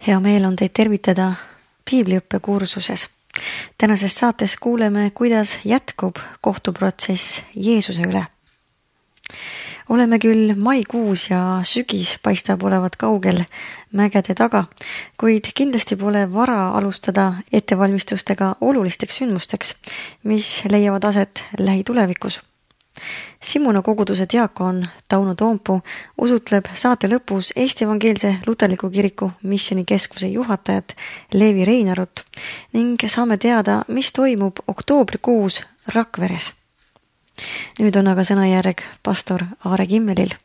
Hea meel on teid tervitada piibliõppe kursuses. Tänases saates kuuleme, kuidas jätkub kohtuprotsess Jeesuse üle. Oleme küll maikuus ja sügis paistab olevat kaugel mägede taga, kuid kindlasti pole vara alustada ettevalmistustega olulisteks sündmusteks, mis leiavad aset lähitulevikus. Simuna koguduse diakon Tauno Toompuu usutleb saate lõpus Eesti Evangeelse Luterliku Kiriku missionikeskuse juhatajat Leevi Reinarut ning saame teada, mis toimub oktoobrikuus Rakveres. Nüüd on aga sõnajärg pastor Aare Kimmelil.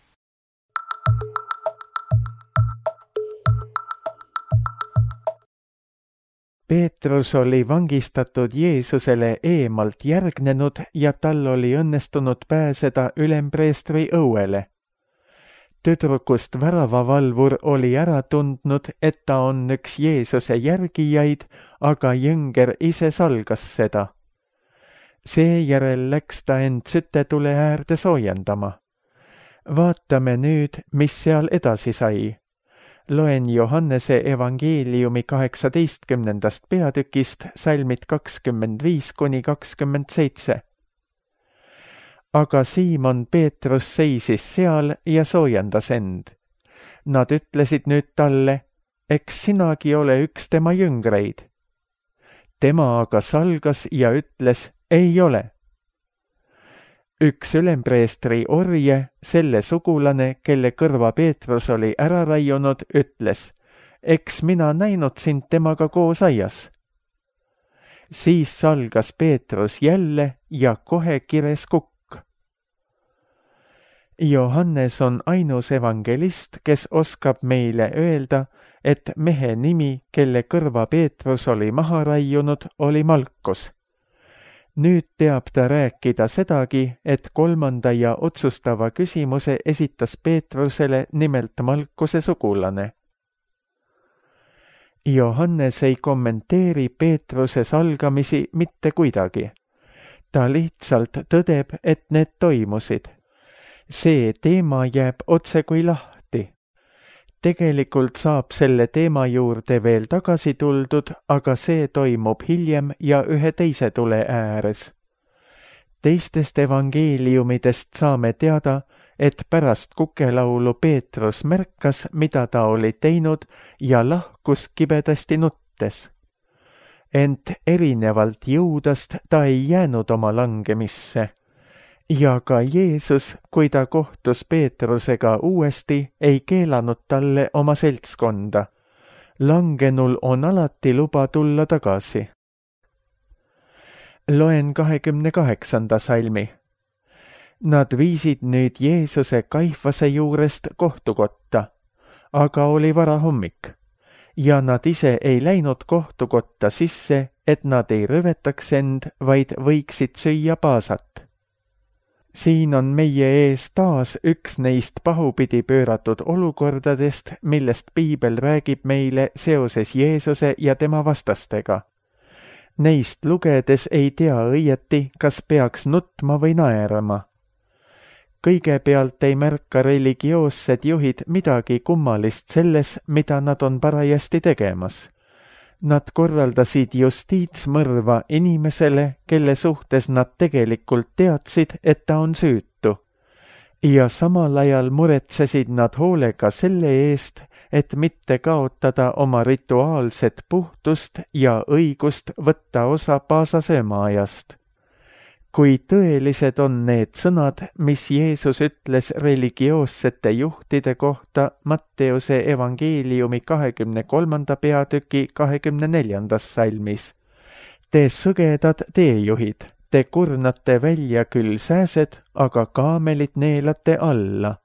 Peetrus oli vangistatud Jeesusele eemalt järgnenud ja tal oli õnnestunud pääseda ülempreestri õuele. Tüdrukust väravavalvur oli ära tundnud, et ta on üks Jeesuse järgijaid, aga jõnger ise salgas seda. Seejärel läks ta end sütetule äärde soojendama. Vaatame nüüd, mis seal edasi sai. Loen Johannese evangeeliumi 18. peatükist salmid 25–27. Aga Siimon Peetrus seisis seal ja soojendas end. Nad ütlesid nüüd talle, eks sinagi ole üks tema jüngreid. Tema aga salgas ja ütles, ei ole. Üks ülempreestri orje, selle sugulane, kelle kõrva Peetrus oli ära raiunud, ütles, eks mina näinud sind temaga koos aias. Siis salgas Peetrus jälle ja kohe kires kukk. Johannes on ainus evangelist, kes oskab meile öelda, et mehe nimi, kelle kõrva Peetrus oli maha raiunud, oli Malkus. Nüüd teab ta rääkida sedagi, et 3. ja otsustava küsimuse esitas Peetrusele nimelt Malkuse sugulane. Johannes ei kommenteeri Peetruse salgamisi mitte kuidagi. Ta lihtsalt tõdeb, et need toimusid. See teema jääb otse kui lahti. Tegelikult saab selle teema juurde veel tagasi tuldud, aga see toimub hiljem ja ühe teise tule ääres. Teistest evangeeliumidest saame teada, et pärast kukelaulu Peetrus märkas, mida ta oli teinud ja lahkus kibedasti nuttes. Ent erinevalt Juudast ta ei jäänud oma langemisse. Ja ka Jeesus, kui ta kohtus Peetrusega uuesti, ei keelanud talle oma seltskonda. Langenul on alati luba tulla tagasi. Loen 28. salmi. Nad viisid nüüd Jeesuse Kaifase juurest kohtukotta, aga oli varahommik. Ja nad ise ei läinud kohtukotta sisse, et nad ei rõvetaks end, vaid võiksid süüa paasat. Siin on meie ees taas üks neist pahupidi pööratud olukordadest, millest piibel räägib meile seoses Jeesuse ja tema vastastega. Neist lugedes ei tea õieti, kas peaks nutma või naerama. Kõigepealt ei märka religioossed juhid midagi kummalist selles, mida nad on parajasti tegemas. Nad korraldasid justiitsmõrva inimesele, kelle suhtes nad tegelikult teadsid, et ta on süütu. Ja samal ajal muretsesid nad hoolega selle eest, et mitte kaotada oma rituaalset puhtust ja õigust võtta osa paasasöömaajast. Kui tõelised on need sõnad, mis Jeesus ütles religioossete juhtide kohta Matteuse evangeeliumi 23. peatüki 24. salmis. Te sõgedad teejuhid, te kurnate välja küll sääsed, aga kaamelit neelate alla.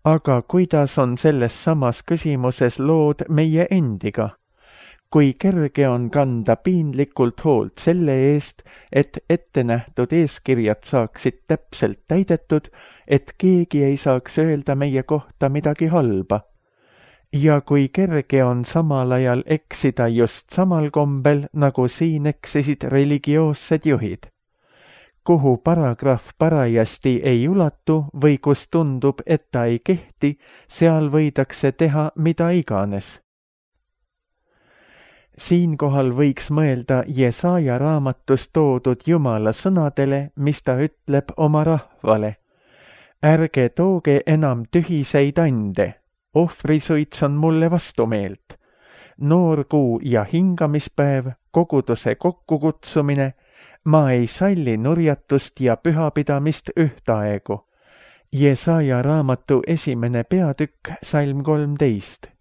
Aga kuidas on selles samas küsimuses lood meie endiga? Kui kerge on kanda piinlikult hoolt selle eest, et ettenähtud eeskirjad saaksid täpselt täidetud, et keegi ei saaks öelda meie kohta midagi halba. Ja kui kerge on samal ajal eksida just samal kombel, nagu siin eksisid religioossed juhid. kuhu paragrahv parajasti ei ulatu või kus tundub, et ta ei kehti, seal võidakse teha mida iganes. Siinkohal võiks mõelda Jesaja raamatus toodud Jumala sõnadele, mis ta ütleb oma rahvale. Ärge tooge enam tühiseid ande, ohvrisuits on mulle vastumeelt. Noorkuu ja hingamispäev, koguduse kokkukutsumine, ma ei salli nurjatust ja pühapidamist ühtaegu. Jesaja raamatu 1. peatükk, salm 13.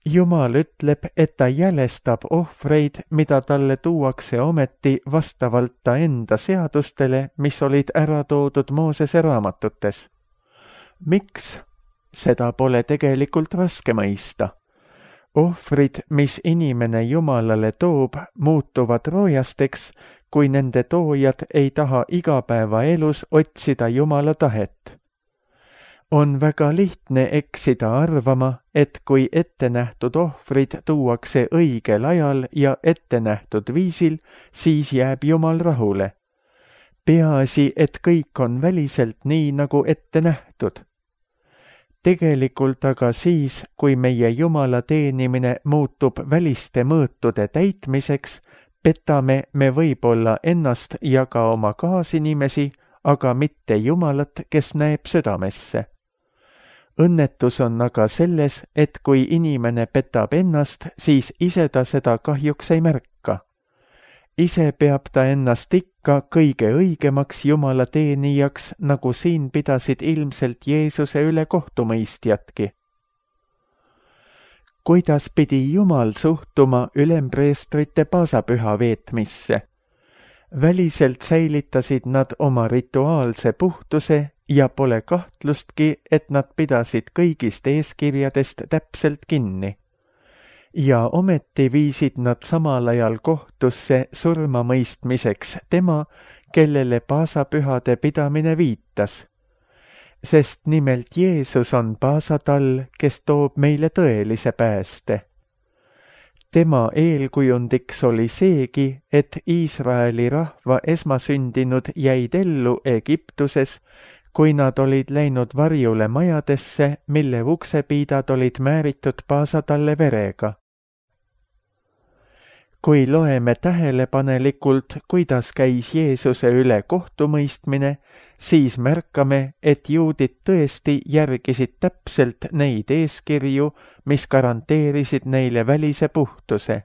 Jumal ütleb, et ta jälestab ohvreid, mida talle tuuakse ometi vastavalt ta enda seadustele, mis olid ära toodud Moosese raamatutes. Miks? Seda pole tegelikult raske mõista. Ohvrid, mis inimene Jumalale toob, muutuvad roojasteks, kui nende toojad ei taha igapäevaelus otsida Jumala tahet. On väga lihtne eksida arvama, et kui ettenähtud ohvrid tuuakse õigel ajal ja ettenähtud viisil, siis jääb Jumal rahule. Peaasi, et kõik on väliselt nii, nagu ette nähtud. Tegelikult aga siis, kui meie Jumala teenimine muutub väliste mõõtude täitmiseks, petame me võib-olla ennast ja ka oma kaasinimesi, aga mitte Jumalat, kes näeb südamesse. Õnnetus on aga selles, et kui inimene petab ennast, siis ise ta seda kahjuks ei märka. Ise peab ta ennast ikka kõige õigemaks Jumala teenijaks, nagu siin pidasid ilmselt Jeesuse üle kohtumõistjatki. Kuidas pidi Jumal suhtuma ülempreestrite paasapüha veetmisse? Väliselt säilitasid nad oma rituaalse puhtuse ja pole kahtlustki, et nad pidasid kõigist eeskirjadest täpselt kinni. Ja ometi viisid nad samal ajal kohtusse surmamõistmiseks tema, kellele paasapühade pidamine viitas. Sest nimelt Jeesus on paasatall, kes toob meile tõelise pääste. Tema eelkujundiks oli seegi, et Iisraeli rahva esmasündinud jäid ellu Egiptuses, kui nad olid läinud varjule majadesse, mille uksepiidad olid määritud paasatalle verega. Kui loeme tähelepanelikult, kuidas käis Jeesuse üle kohtumõistmine, siis märkame, et juudid tõesti järgisid täpselt neid eeskirju, mis garanteerisid neile välise puhtuse.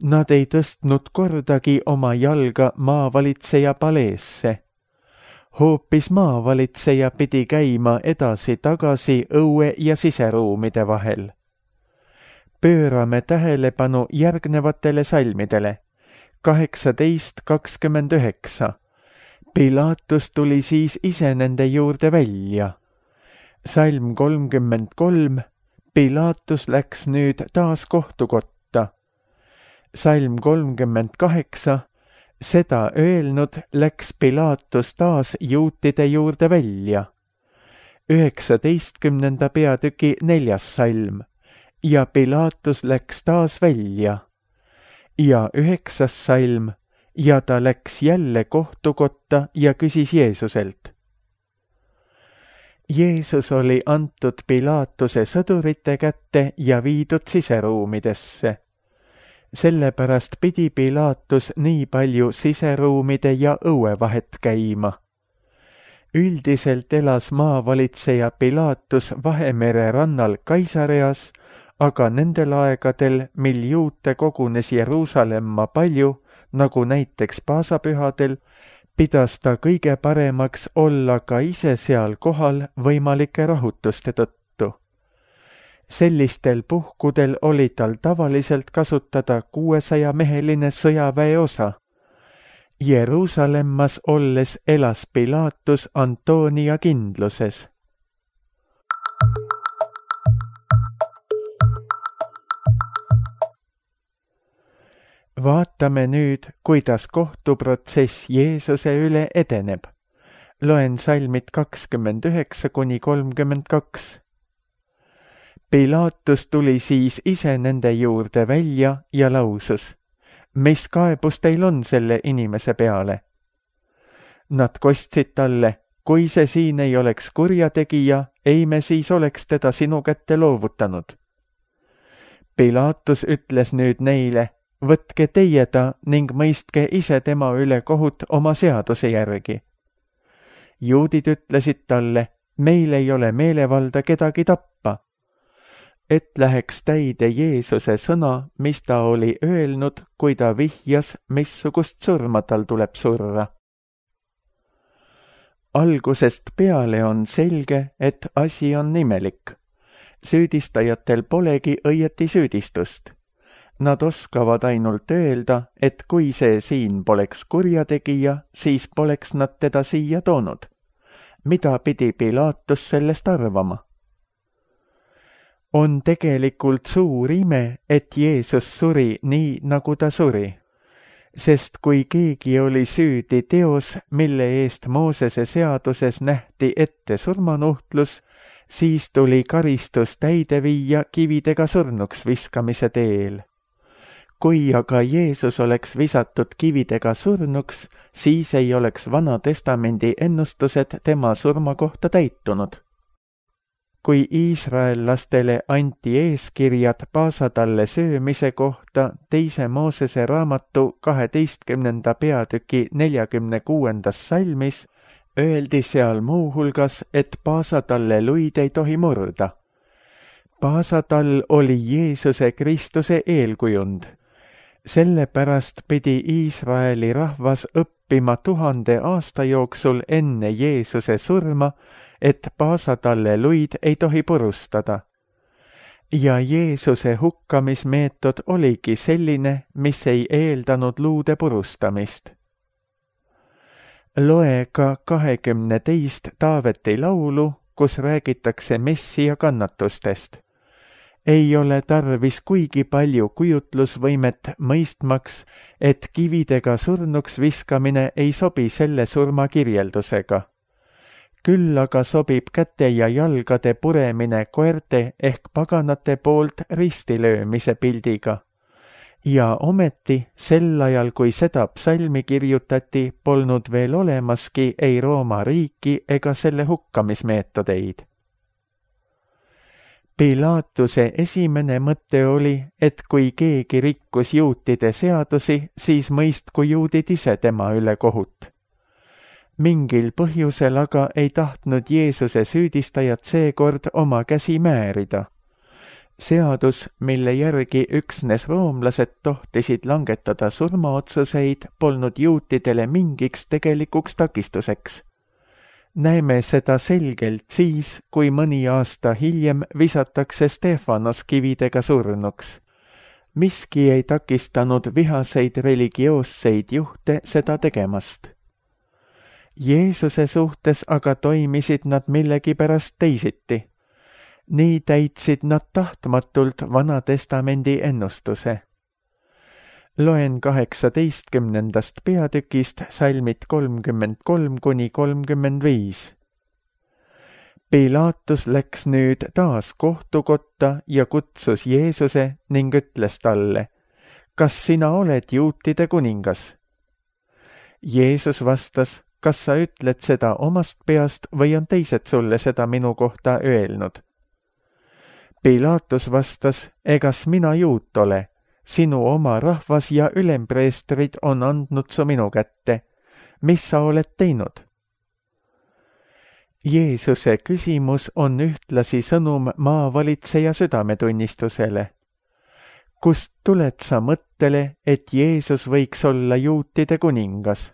Nad ei tõstnud kordagi oma jalga maavalitseja paleesse. Hoopis maavalitseja pidi käima edasi-tagasi õue ja siseruumide vahel. Pöörame tähelepanu järgnevatele salmidele. 18:29. Pilatus tuli siis ise nende juurde välja. Salm 33. Pilatus läks nüüd taas kohtukotta. Salm 38. Seda öelnud läks Pilatus taas juutide juurde välja. 19. peatüki 4. salm. Ja Pilatus läks taas välja. Ja 9. salm. Ja ta läks jälle kohtukotta ja küsis Jeesuselt. Jeesus oli antud Pilatuse sõdurite kätte ja viidud siseruumidesse. Sellepärast pidi Pilatus nii palju siseruumide ja õue vahet käima. Üldiselt elas maavalitseja Pilatus Vahemere rannal Kaisareas, aga nendel aegadel, mil juute kogunes Jeruusalemma palju, nagu näiteks paasapühadel, pidas ta kõige paremaks olla ka ise seal kohal võimalike rahutuste tõttu. Sellistel puhkudel oli tal tavaliselt kasutada 600-meheline sõjaväeosa. Jeruusalemmas olles elas Pilatus Antonia kindluses. Vaatame nüüd, kuidas kohtuprotsess Jeesuse üle edeneb. Loen salmid 29–32. Pilatus tuli siis ise nende juurde välja ja lausus, mis kaebus teil on selle inimese peale? Nad kostsid talle, kui see siin ei oleks kurjategija, ei me siis oleks teda sinu kätte loovutanud. Pilaatus ütles nüüd neile, võtke teie ta ning mõistke ise tema üle kohut oma seaduse järgi. Juudid ütlesid talle, meil ei ole meelevalda kedagi tappa, et läheks täide Jeesuse sõna, mis ta oli öelnud, kui ta vihjas, missugust surma tal tuleb surra. Algusest peale on selge, et asi on imelik. Süüdistajatel polegi õieti süüdistust. Nad oskavad ainult öelda, et kui see siin poleks kurjategija, siis poleks nad teda siia toonud. Mida pidi Pilaatus sellest arvama? On tegelikult suur ime, et Jeesus suri nii, nagu ta suri. Sest kui keegi oli süüdi teos, mille eest Moosese seaduses nähti ette surmanuhtlus, siis tuli karistus täide viia kividega surnuks viskamise teel. Kui aga Jeesus oleks visatud kividega surnuks, siis ei oleks Vana Testamendi ennustused tema surma kohta täitunud. Kui iisraellastele anti eeskirjad paasatalle söömise kohta 2. Moosese raamatu 12. peatüki 46. salmis, öeldi seal muuhulgas, et paasatalle luid ei tohi murda. Paasatall oli Jeesuse Kristuse eelkujund. Sellepärast pidi Iisraeli rahvas õppima 1000 aasta jooksul enne Jeesuse surma, et paasatalle luid ei tohi purustada. Ja Jeesuse hukkamismeetod oligi selline, mis ei eeldanud luude purustamist. Loe ka 22 Taaveti laulu, kus räägitakse Messia kannatustest. Ei ole tarvis kuigi palju kujutlusvõimet mõistmaks, et kividega surnuks viskamine ei sobi selle surma kirjeldusega. Küll aga sobib käte ja jalgade puremine koerte ehk paganate poolt ristilöömise pildiga. Ja ometi sel ajal, kui seda psalmi kirjutati, polnud veel olemaski ei Rooma riiki ega selle hukkamismeetodeid. Pilaatuse esimene mõte oli, et kui keegi rikkus juutide seadusi, siis mõistku juudid ise tema üle kohut. Mingil põhjusel aga ei tahtnud Jeesuse süüdistajad seekord oma käsi määrida. Seadus, mille järgi üksnes roomlased tohtisid langetada surmaotsuseid, polnud juutidele mingiks tegelikuks takistuseks. Näeme seda selgelt siis, kui mõni aasta hiljem visatakse Stefanos kividega surnuks. Miski ei takistanud vihaseid religioosseid juhte seda tegemast. Jeesuse suhtes aga toimisid nad millegipärast teisiti. Nii täitsid nad tahtmatult Vana Testamendi ennustuse. Loen 18. peatükist salmid 33–35. Pilaatus läks nüüd taas kohtukotta ja kutsus Jeesuse ning ütles talle, kas sina oled juutide kuningas? Jeesus vastas, kas sa ütled seda omast peast või on teised sulle seda minu kohta öelnud? Pilaatus vastas, egas mina juut ole, sinu oma rahvas ja ülempreestrid on andnud su minu kätte. Mis sa oled teinud? Jeesuse küsimus on ühtlasi sõnum maavalitseja südametunnistusele. Kust tuled sa mõttele, et Jeesus võiks olla juutide kuningas?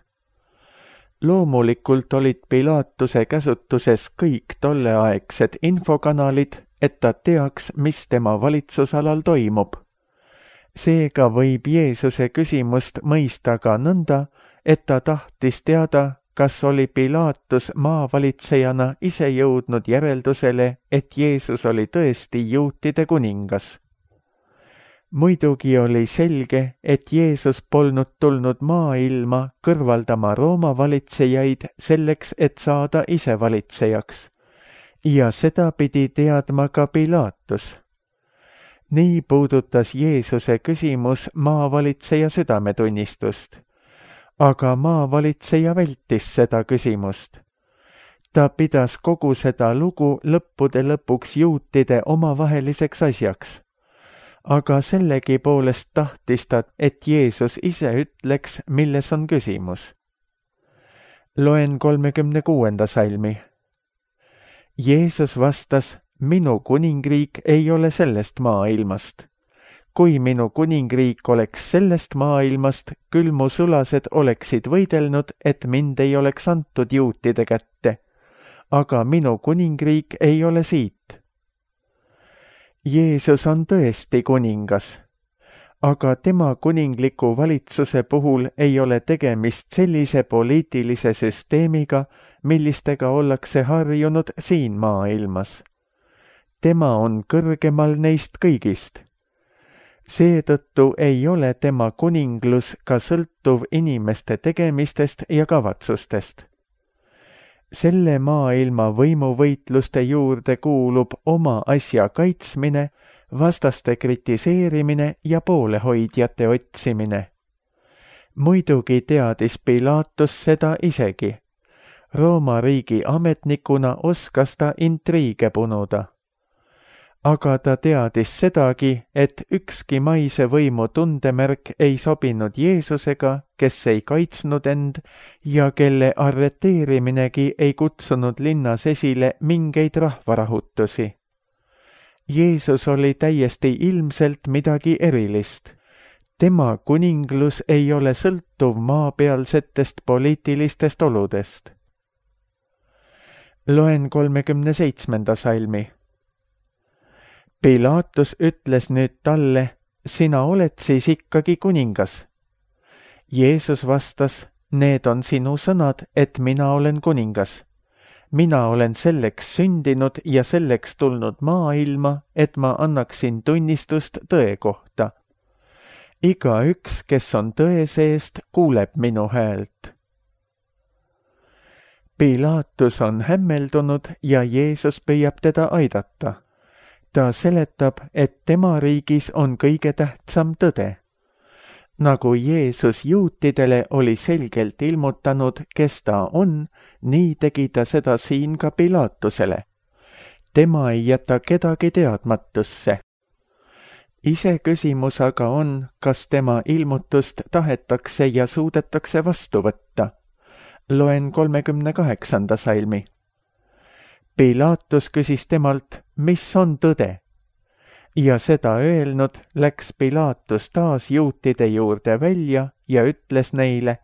Loomulikult olid Pilaatuse käsutuses kõik tolleaegsed infokanalid, et ta teaks, mis tema valitsusalal toimub. Seega võib Jeesuse küsimust mõista ka nõnda, et ta tahtis teada, kas oli Pilaatus maavalitsejana ise jõudnud järeldusele, et Jeesus oli tõesti juutide kuningas. Muidugi oli selge, et Jeesus polnud tulnud maailma kõrvaldama Rooma valitsejaid selleks, et saada ise valitsejaks. Ja seda pidi teadma ka Pilaatus. Nii puudutas Jeesuse küsimus maavalitseja südametunnistust. aga maavalitseja vältis seda küsimust. Ta pidas kogu seda lugu lõppude lõpuks juutide omavaheliseks asjaks. Aga sellegipoolest tahtis ta, et Jeesus ise ütleks, milles on küsimus. Loen 36. salmi. Jeesus vastas, minu kuningriik ei ole sellest maailmast. Kui minu kuningriik oleks sellest maailmast, küll mu sulased oleksid võidelnud, et mind ei oleks antud juutide kätte. Aga minu kuningriik ei ole siit. Jeesus on tõesti kuningas, aga tema kuningliku valitsuse puhul ei ole tegemist sellise poliitilise süsteemiga, millistega ollakse harjunud siin maailmas. Tema on kõrgemal neist kõigist. Seetõttu ei ole tema kuninglus ka sõltuv inimeste tegemistest ja kavatsustest. Selle maailma võimuvõitluste juurde kuulub oma asja kaitsmine, vastaste kritiseerimine ja poolehoidjate otsimine. Muidugi teadis Pilaatus seda isegi. Rooma riigi ametnikuna oskas ta intriige punuda. Aga ta teadis sedagi, et ükski maise võimu tundemärk ei sobinud Jeesusega, kes ei kaitsnud end ja kelle arreteeriminegi ei kutsunud linnas esile mingeid rahvarahutusi. Jeesus oli täiesti ilmselt midagi erilist. Tema kuninglus ei ole sõltuv maapealsetest poliitilistest oludest. Loen 37. salmi. Pilaatus ütles nüüd talle, sina oled siis ikkagi kuningas. Jeesus vastas, need on sinu sõnad, et mina olen kuningas. Mina olen selleks sündinud ja selleks tulnud maailma, et ma annaksin tunnistust tõe kohta. Igaüks, kes on tõe seest, kuuleb minu häält. Pilaatus on hämmeldunud ja Jeesus püüab teda aidata. Ta seletab, et tema riigis on kõige tähtsam tõde. Nagu Jeesus juutidele oli selgelt ilmutanud, kes ta on, nii tegi ta seda siin ka Pilaatusele. Tema ei jäta kedagi teadmatusse. Iseküsimus aga on, kas tema ilmutust tahetakse ja suudetakse vastu võtta. Loen 38. salmi. Pilaatus küsis temalt, mis on tõde? Ja seda öelnud, läks Pilaatus taas juutide juurde välja ja ütles neile,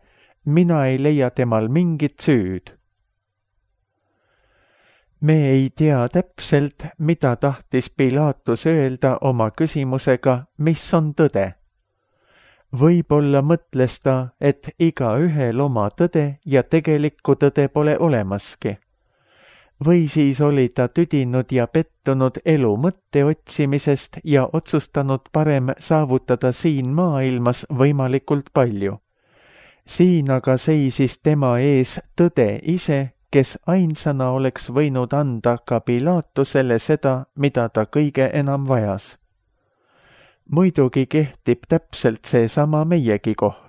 mina ei leia temal mingit süüd. Me ei tea täpselt, mida tahtis Pilaatus öelda oma küsimusega, mis on tõde. Võib-olla mõtles ta, et igaühel oma tõde ja tegelikku tõde pole olemaski. Või siis oli ta tüdinud ja pettunud elu mõtte otsimisest ja otsustanud parem saavutada siin maailmas võimalikult palju. Siin aga seisis tema ees tõde ise, kes ainsana oleks võinud anda ka Pilaatusele seda, mida ta kõige enam vajas. Muidugi kehtib täpselt seesama meiegi kohta.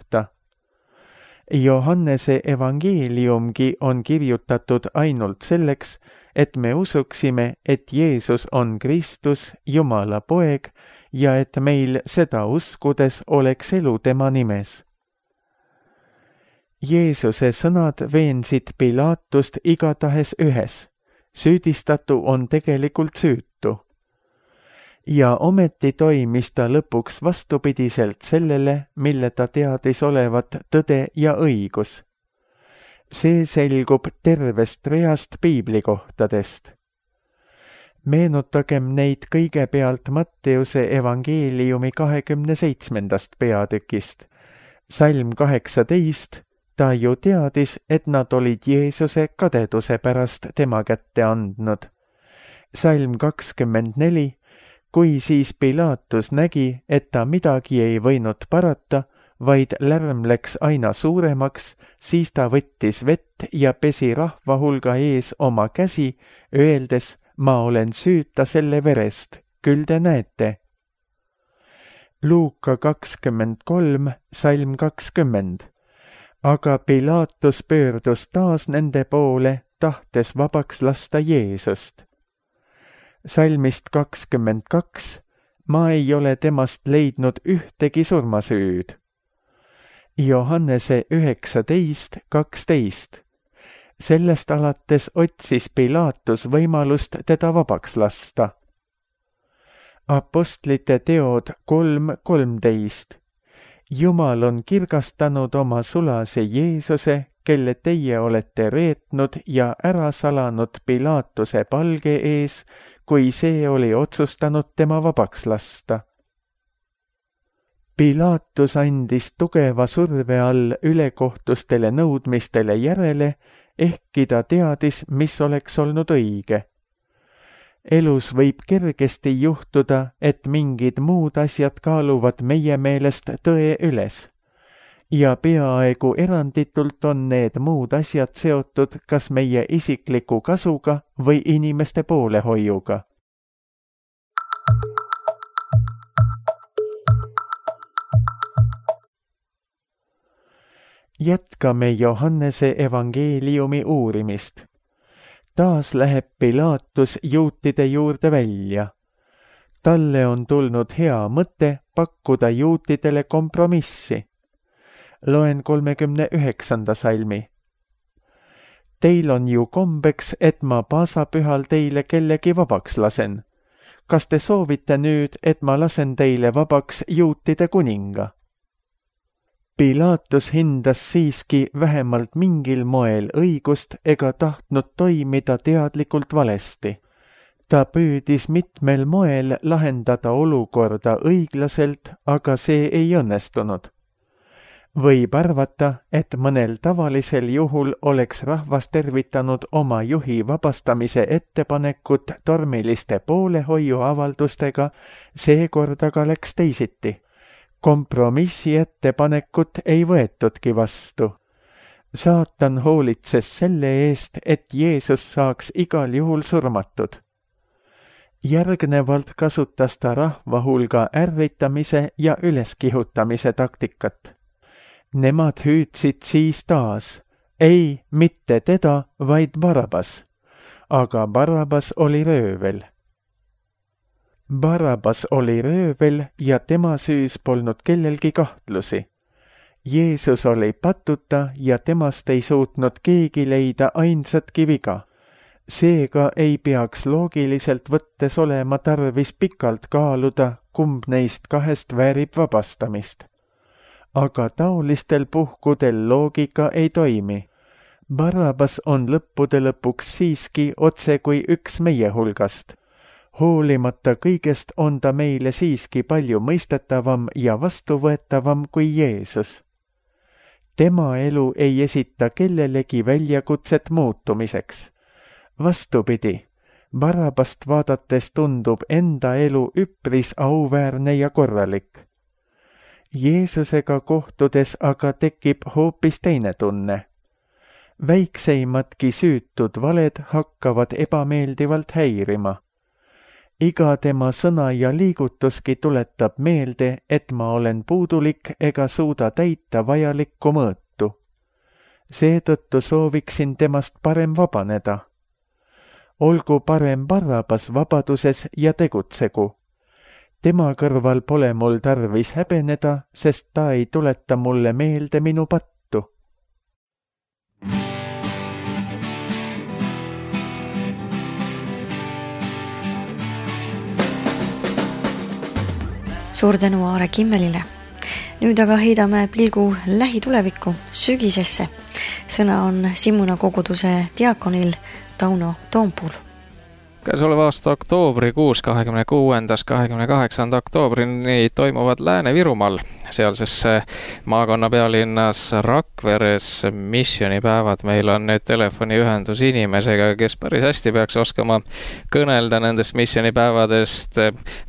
Johannese evangeeliumgi on kirjutatud ainult selleks, et me usuksime, et Jeesus on Kristus, Jumala poeg, ja et meil seda uskudes oleks elu tema nimes. Jeesuse sõnad veensid Pilaatust igatahes ühes. Süüdistatu on tegelikult süütu. Ja ometi toimis ta lõpuks vastupidiselt sellele, mille ta teadis olevat tõde ja õigus. See selgub tervest reast piiblikohtadest. Meenutagem neid kõigepealt Matteuse evangeeliumi 27. peatükist. Salm 18, ta ju teadis, et nad olid Jeesuse kadeduse pärast tema kätte andnud. Salm 24, kui siis Pilaatus nägi, et ta midagi ei võinud parata, vaid lärm läks aina suuremaks, siis ta võttis vett ja pesi rahva hulga ees oma käsi, öeldes, ma olen süüta selle verest, küll te näete. Luuka 23, salm 20. aga Pilaatus pöördus taas nende poole, tahtes vabaks lasta Jeesust. Salmist 22. Ma ei ole temast leidnud ühtegi surmasüüd. Johannese 19:12. Sellest alates otsis Pilaatus võimalust teda vabaks lasta. Apostlite teod 3:13. Jumal on kirgastanud oma sulase Jeesuse, kelle teie olete reetnud ja ära salanud Pilaatuse palge ees, kui see oli otsustanud tema vabaks lasta. Pilaatus andis tugeva surve all ülekohtustele nõudmistele järele, ehkki ta teadis, mis oleks olnud õige. Elus võib kergesti juhtuda, et mingid muud asjad kaaluvad meie meelest tõe üles. Ja peaaegu eranditult on need muud asjad seotud kas meie isikliku kasuga või inimeste poolehoiuga. Jätkame Johannese evangeeliumi uurimist. Taas läheb Pilaatus juutide juurde välja. Talle on tulnud hea mõte pakkuda juutidele kompromissi. Loen 39. salmi. Teil on ju kombeks, et ma paasapühal teile kellegi vabaks lasen. Kas te soovite nüüd, et ma lasen teile vabaks juutide kuninga? Pilaatus hindas siiski vähemalt mingil moel õigust ega tahtnud toimida teadlikult valesti. Ta püüdis mitmel moel lahendada olukorda õiglaselt, aga see ei õnnestunud. Võib arvata, et mõnel tavalisel juhul oleks rahvas tervitanud oma juhi vabastamise ettepanekut tormiliste poolehoiuavaldustega, seekord aga läks teisiti. Kompromissi ettepanekut ei võetudki vastu. Saatan hoolitses selle eest, et Jeesus saaks igal juhul surmatud. Järgnevalt kasutas ta rahva hulga ärritamise ja üleskihutamise taktikat. Nemad hüüdsid siis taas, ei, mitte teda, vaid Barabas. Aga Barabas oli röövel. Barabas oli röövel ja tema süüs polnud kellelgi kahtlusi. Jeesus oli patuta ja temast ei suutnud keegi leida ainsatki viga. Seega ei peaks loogiliselt võttes olema tarvis pikalt kaaluda, kumb neist kahest väärib vabastamist. Aga taolistel puhkudel loogika ei toimi. Barabas on lõppude lõpuks siiski otse kui üks meie hulgast. Hoolimata kõigest on ta meile siiski palju mõistetavam ja vastuvõetavam kui Jeesus. Tema elu ei esita kellelegi väljakutset muutumiseks. Vastupidi, Barabast vaadates tundub enda elu üpris auväärne ja korralik. Jeesusega kohtudes aga tekib hoopis teine tunne. Väikseimadki süütud valed hakkavad ebameeldivalt häirima. Iga tema sõna ja liigutuski tuletab meelde, et ma olen puudulik ega suuda täita vajalikku mõõtu. Seetõttu sooviksin temast parem vabaneda. Olgu parem Barabas vabaduses ja tegutsegu. Tema kõrval pole mul tarvis häbeneda, sest ta ei tuleta mulle meelde minu pattu. Suur tänu Aare Kimmelile. Nüüd aga heidame pilgu lähitulevikku, sügisesse. Sõna on Simmuna koguduse diakonil Tauno Toompuul. Käesoleva aasta oktoobrikuus 26.–28. oktoobrini toimuvad Lääne-Virumaal sealses maakonna pealinnas Rakveres missioonipäevad. Meil on nüüd telefoniühendus inimesega, kes päris hästi peaks oskama kõnelda nendest missioonipäevadest,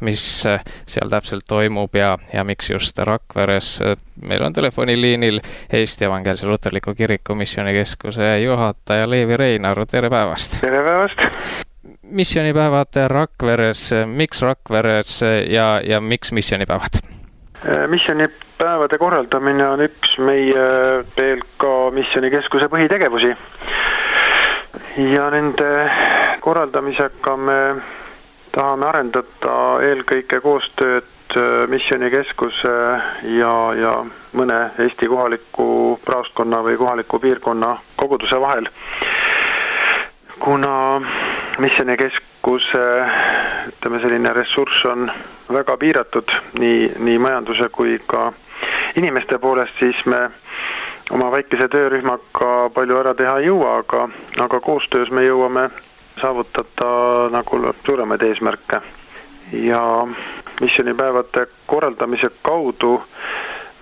mis seal täpselt toimub ja miks just Rakveres. Meil on telefoniliinil Eesti Evangeelse Luterliku Kiriku missioonikeskuse juhataja Leevi Reinaru. Tere päevast! Tere päevast! Missioonipäevad Rakveres, miks Rakveres ja miks missioonipäevad? Missioonipäevade korraldamine on üks meie PLK Missioonikeskuse põhitegevusi. Ja nende korraldamisega me tahame arendada eelkõige koostööd Missioonikeskuse ja mõne Eesti kohaliku praostkonna või kohaliku piirkonna koguduse vahel. Kuna Missioonikeskuse selline ressurss on väga piiratud nii majanduse kui ka inimeste poolest, siis me oma väikese töörühmaga palju ära teha ei jõua, aga koostöös me jõuame saavutada nagu suuremaid eesmärke. Ja missioonipäevade korraldamise kaudu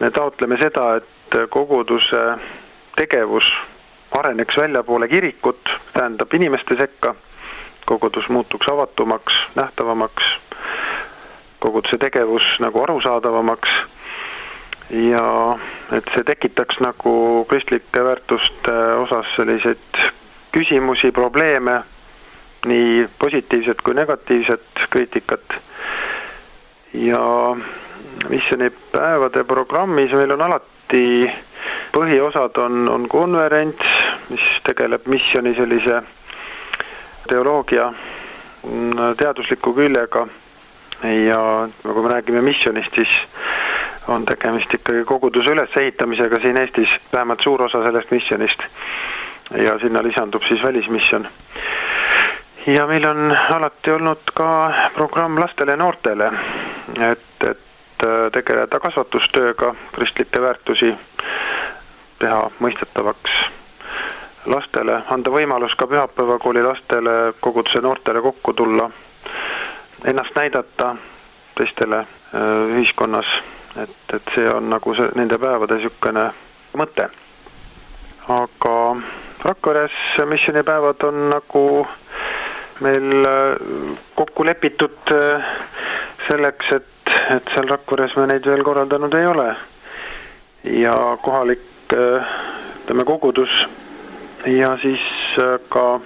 me taotleme seda, et koguduse tegevus areneks väljapoole kirikut, tähendab inimeste sekka, kogudus muutuks avatumaks, nähtavamaks, koguduse tegevus nagu arusaadavamaks ja et see tekitaks nagu kristlike väärtuste osas selliseid küsimusi, probleeme, nii positiivset kui negatiivset kriitikat. Ja missioonipäevade programmis meil on alati põhiosad on konverents, mis tegeleb missiooni sellise teoloogia teadusliku küljega ja kui me räägime missionist, siis on tegemist ikkagi koguduse ülesehitamisega siin Eestis, vähemalt suur osa sellest missionist ja sinna lisandub siis välismisjon. Ja meil on alati olnud ka programm lastele ja noortele, et tegeleda kasvatustööga, kristlikke väärtusi teha mõistetavaks lastele, anda võimalus ka pühapäevakooli lastele, koguduse noortele kokku tulla, ennast näidata teistele ühiskonnas, et see on nagu nende päevade niisugune mõte. Aga Rakveres missioonipäevad on nagu meil kokku lepitud selleks, et seal Rakveres me neid veel korraldanud ei ole. Ja kohalik kogudus ja siis ka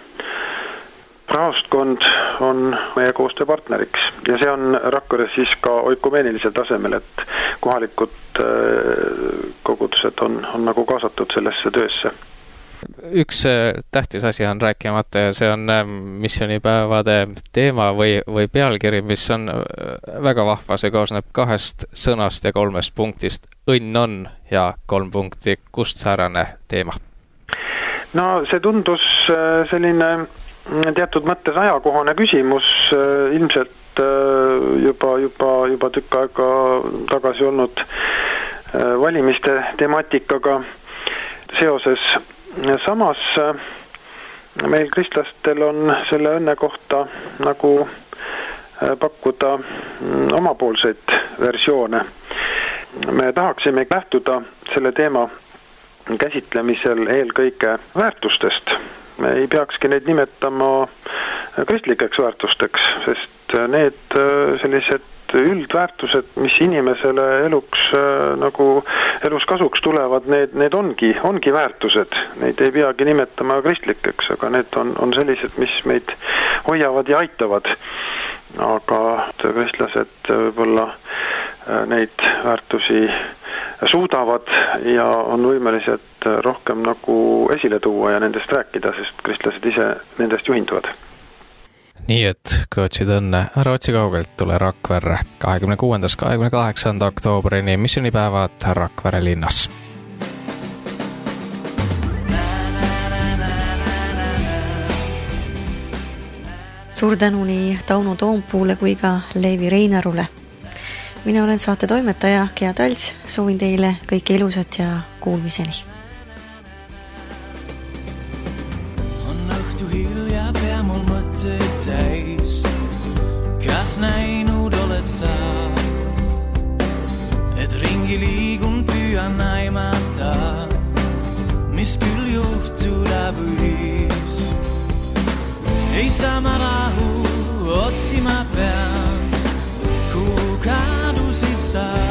praostkond on meie koostööpartneriks. Ja see on Rakveres siis ka oikumeenilisel tasemel, et kohalikud kogudused on nagu kaasatud sellesse töösse. Üks tähtis asi on rääkimata ja see on missioonipäevade teema või pealkiri, mis on väga vahva. See koosneb 2 sõnast ja 3 punktist. Õnn on ja 3 punkti. Kust säärane teema? No see tundus selline teatud mõttes ajakohane küsimus, ilmselt juba tükk aega tagasi olnud valimiste temaatikaga seoses. Samas meil kristlastel on selle õnne kohta nagu pakkuda omapoolseid versioone. Me tahaksime lähtuda selle teema käsitlemisel eelkõige väärtustest. Me ei peakski neid nimetama kristlikeks väärtusteks, sest need sellised üldväärtused, mis inimesele elus kasuks tulevad, need ongi väärtused. Neid ei peagi nimetama kristlikeks, aga need on sellised, mis meid hoiavad ja aitavad. Aga kristlased võib-olla neid väärtusi suudavad ja on võimelised rohkem nagu esile tuua ja nendest rääkida, sest kristlased ise nendest juhinduvad. Nii et kui otsid õnne, ära otsi kaugelt, tule Rakverre 26. 28. oktoobrini missioonipäevad Rakvere linnas. Suur tänu nii Tauno Toompuule kui ka Leevi Reinarule. Mina olen saate toimetaja Gea Talts, soovin teile kõike ilusat ja kuulmiseni. On õhtu hilja, pea mul mõtteid täis. Kas näinud oled sa, et ringi liigun, püüan aimata, mis küll juhtuda võis. Ei saa ma rahu, otsima pean, kuhu kadusid sa.